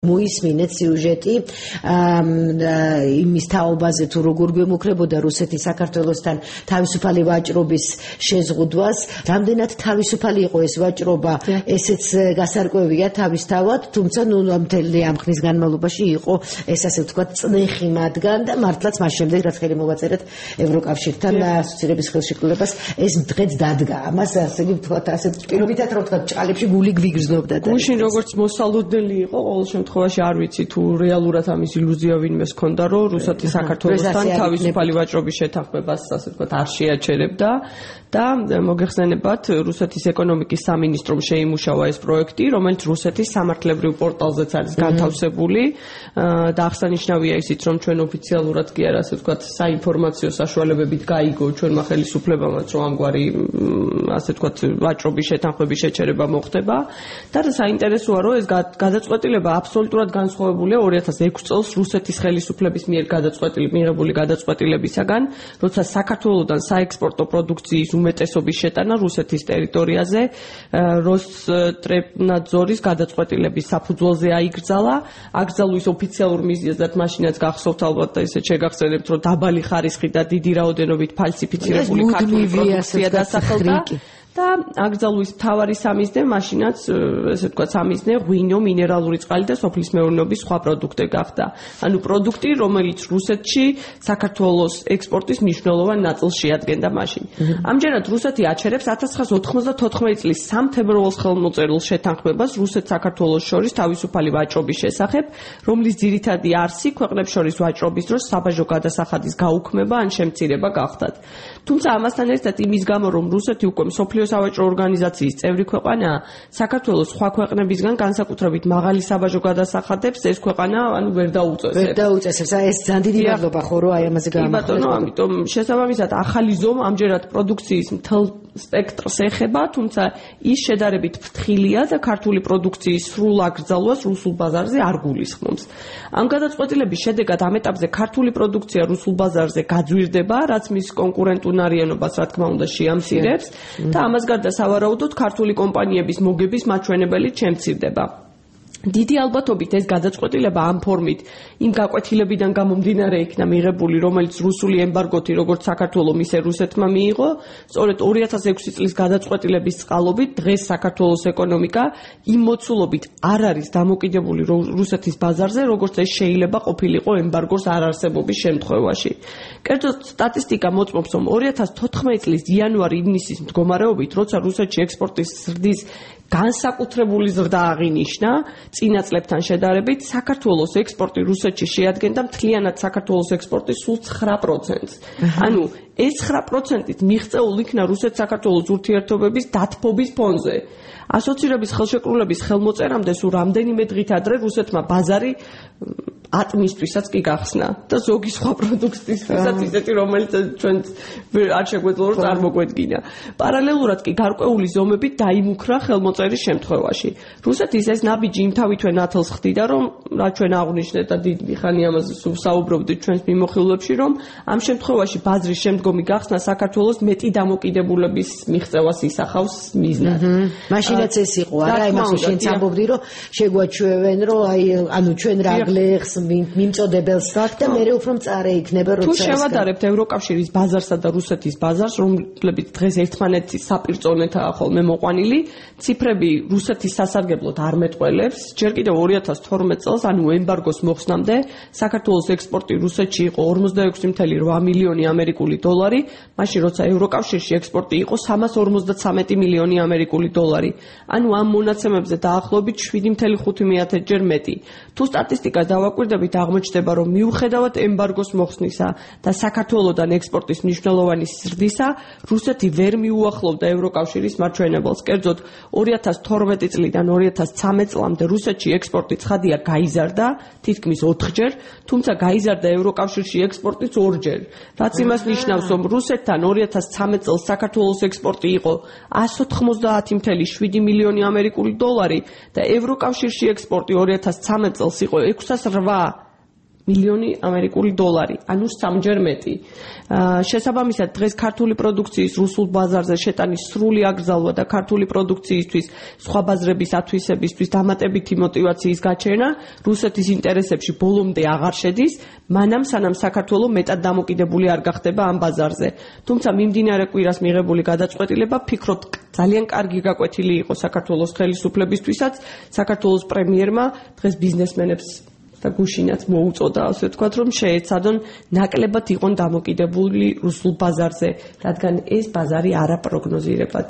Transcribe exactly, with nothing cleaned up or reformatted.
მოისმინეთ სიუჟეტი იმის თაობაზე თუ როგორ გვემუქრებოდა რუსეთის საქართველოსთან თავისუფალი ვაჭრობის შეზღუდვას, რამდენად თავისუფალი იყო ეს ვაჭრობა, ესეც გასარკვევია თავისთავად, თუმცა ნუ მთელი ამ ხნის განმავლობაში იყო ეს ასე ვთქვათ წნეხი მათგან და მართლაც მას შემდეგ რაც ხელი მოვაწერეთ ევროკავშირთან ასოცირების ხელშეკრულებას ეს დღეც დადგა. ამას ასე ვთქვათ ასე პირობითად რო ვთქვათ ჭყალებში გული გვიგრძნობდა და გუშინ როგორც მოსალოდნელი იყო ყოველ შემთხვევაში არ ვიცი თუ რეალურად ამის ილუზია ვინმეს ჰქონდა რომ რუსეთი საქართველოსთან თავისუფალი ვაჭრობის შეთანხმებას ასე ვთქვათ არ შეაჩერებდა და მოგეხსენებათ რუსეთის ეკონომიკის სამინისტრომ შეიმუშავა ეს პროექტი რომელიც რუსეთის სამართლებრივ პორტალზეც არის განთავსებული და აღსანიშნავია ისიც რომ ჩვენ ოფიციალურად კი არა ასე ვთქვათ საინფორმაციო საშუალებებით გაიგო ჩვენმა ხელისუფლებამაც რომ ამგვარი ასე ვთქვათ ვაჭრობის შეთანხმების შეჩერება მოხდება და საინტერესოა რომ ეს გადაწყვეტილება აბსოლუტურად განსხვავებულია ორი ათას ექვსი წელს რუსეთის ხელისუფლების მიერ გადაწყვეტილი მიღებული გადაწყვეტილებისაგან, როცა საქართველოსთან საექსპორტო პროდუქციის უმეტესობის შეტანა რუსეთის ტერიტორიაზე როსტრებნაძორის გადაწყვეტილების საფუძველზე აიგრძალა. აკრძალვის ოფიციალურ მიზეზად მაშინაც გახსოვთ ალბათ და ისე შეგახსენებთ, რომ დაბალი ხარისხი და დიდი რაოდენობით ფალსიფიცირებული ქართული პროდუქცია დასახელდა. და აკრძალვის მთავარი სამიზნე მაშინაც ესე ვთქვათ სამიზნე ღვინო, მინერალური წყალი და სოფლის მეურნეობის სხვა პროდუქტი გახდა. ანუ პროდუქტი, რომელიც რუსეთში საქართველოს ექსპორტის მნიშვნელოვან ნაწილს შეადგენდა მაშინ. ამჯერად რუსეთი აჩერებს ათას ცხრაასი ოთხმოცდათოთხმეტი წლის სამფებროარის ხელმოწერილ შეთანხმებას რუსეთ-საქართველოს შორის თავისუფალი ვაჭრობის შესახებ, რომლის ძირითადი არსი ქვეყნებს შორის ვაჭრობის დროს საბაჟო გადასახადის გაუქმება ან შემცირება გახდათ. თუმცა ამასთან ერთად იმის გამო, რომ რუსეთი უკვე მსოფლიო სავაჭრო ორგანიზაციის წევრი ქვეყანაა, საქართველოს სხვა ქვეყნებისგან განსაკუთრებით მაღალი საბაჟო გადასახადებს ეს ქვეყანა ანუ ვერ დაუწესებს. ვერ დაუწესებს. ეს ძალიან დიდი მადლობა ხო რომ აი ამაზე გაამახვილეთ. ბატონო, ამიტომ შესაბამისად ახალი ზომა ამჯერად პროდუქციის მთელ სპექტრს ეხება, თუმცა ის შედარებით ფრთხილია და ქართული პროდუქციის სრულ აკრძალვას რუსულ ბაზარზე არ გულისხმობს. ამ გადაწყვეტილების შედეგად ამ ეტაპზე ქართული პროდუქცია რუსულ ბაზარზე გაძვირდება, რაც მის კონკურენტუნარიანობას რა თქმა უნდა შეამცირებს და ამას გარდა სავარაუდოდ ქართული კომპანიების მოგების მაჩვენებელი შემცირდება. დიდი ალბათობით ეს გადაწყვეტილება ამ ფორმით იმ გაკვეთილებიდან გამომდინარე იქნა მიღებული, რომელიც რუსული ემბარგოთი როგორც საქართველოს მისე რუსეთმა მიიღო, სწორედ ორი ათას ექვსი წლის გადაწყვეტილების წყალობით დღეს საქართველოს ეკონომიკა იმ მოცულობით არ არის დამოკიდებული რუსეთის ბაზარზე, როგორც ეს შეიძლება ყოფილიყო ემბარგოს არარსებობის შემთხვევაში. კერძოდ სტატისტიკა მოწმობს, რომ ორი ათას თოთხმეტი წლის იანვარ-ივნისის მდგომარეობით, როცა რუსეთში ექსპორტის ზრდის განსაკუთრებული ზრდა აღინიშნა წინა წლებთან შედარებით, საქართველოს ექსპორტი რუსეთში შეადგენდა მთლიანად საქართველოს ექსპორტის სულ ცხრა პროცენტს. ანუ ეს ცხრა პროცენტით მიღწეულ იქნა რუსეთ-საქართველოს ურთიერთობების დათბობის ფონზე. ასოცირების ხელშეკრულების ხელმოწერამდე სულ რამდენიმე დღით ადრე რუსეთმა ბაზარი ატმისთვისაც კი გახსნა და ზოგი სხვა პროდუქტისთვისაც ისეთი, რომელიც ჩვენ არ შეგვეძლო რომ წარმოგვედგინა. პარალელურად კი გარკვეული ზომებით დაიმუქრა ხელმოწერის შემთხვევაში. რუსეთის ეს ნაბიჯი იმთავითვე ნათელს ხდიდა, რომ რა ჩვენ აღვნიშნეთ და დიდი ხანი ამაზე საუბრობდით ჩვენს მიმოხილვებში, რომ ამ შემთხვევაში ბაზრის შემდგომი გახსნა საქართველოს მეტი დამოკიდებულების მიღწევას ისახავს მიზნად. მაშინაც ეს იყო, არა, იმას შენც ამბობდი, რომ შეგვაჩვევენ, რომ აი ანუ ჩვენ რა გლეხს მიმწოდებელს და მე უფრო მწარე იქნება როცა თუ შევადარებთ ევროკავშირის ბაზარსა და რუსეთის ბაზარს, რომლებიც დღეს ერთმანეთის საპირწონეთაა ხოლმე მოყვანილი, ციფრები რუსეთის სასარგებლოდ არ მეტყველებს. ჯერ კიდევ ორი ათას თორმეტ წელს, ანუ ემბარგოს მოხსნამდე, საქართველოს ექსპორტი რუსეთში იყო ორმოცდაექვსი წუთი რვა მილიონი ამერიკული დოლარი, მაშინ როცა ევროკავშირში ექსპორტი იყო სამას ორმოცდათვრამეტი მილიონი ამერიკული დოლარი. ანუ ამ მონაცემებზე დაახლოებით შვიდი წუთი ხუთი ჯერ მეტი. თუ სტატისტიკას დავაკვირდებით, აღმოჩნდება, რომ მიუხედავად ემბარგოს მოხსნისა და საქართველოსთან ექსპორტის მნიშვნელოვანი ზრდისა, რუსეთი ვერ მიუახლოვდა ევროკავშირის მაჩვენებელს. კერძოდ, ორი ათას თორმეტი წლიდან ორი ათას ცხრამეტი წლამდე რუსეთში ექსპორტი ცხადია გაიზარდა, თითქმის ოთხჯერ, თუმცა გაიზარდა ევროკავშირში ექსპორტიც ორჯერ. რაც იმას ნიშნავს, რომ რუსეთთან ორი ათას ცხრამეტი წელს საქართველოს ექსპორტი იყო ათს ოცდაათი წუთი შვიდი მილიონი ამერიკული დოლარი და ევროკავშირში ექსპორტი ორი ათას ცხრამეტი წელს იყო ექვსას რვა მილიონი ამერიკული დოლარი, ანუ სამჯერ მეტი. შესაბამისად, დღეს ქართული პროდუქციის რუსულ ბაზარზე შეტანის სრული აკრძალვა და ქართული პროდუქციისთვის სხვა ბაზრების ათვისებისთვის დამატებითი мотиваციის გაჩენა რუსეთის ინტერესებში ბოლომდე აღარ შედის, მანამ სანამ საქართველოს მეტად დამოკიდებული არ გახდება ამ ბაზარზე. თუმცა მიმდინარე კვირას მიღებული გადაწყვეტილება ფიქრობ ძალიან კარგი გაკვეთილი იყო საქართველოს ხელისუფლებისთვისაც, საქართველოს პრემიერმა დღეს ბიზნესმენებს და გუშინაც მოუწოდა, ასე ვთქვათ, რომ შეეცადონ ნაკლებად იყვნენ დამოკიდებული რუსულ ბაზარზე, რადგან ეს ბაზარი არაპროგნოზირებად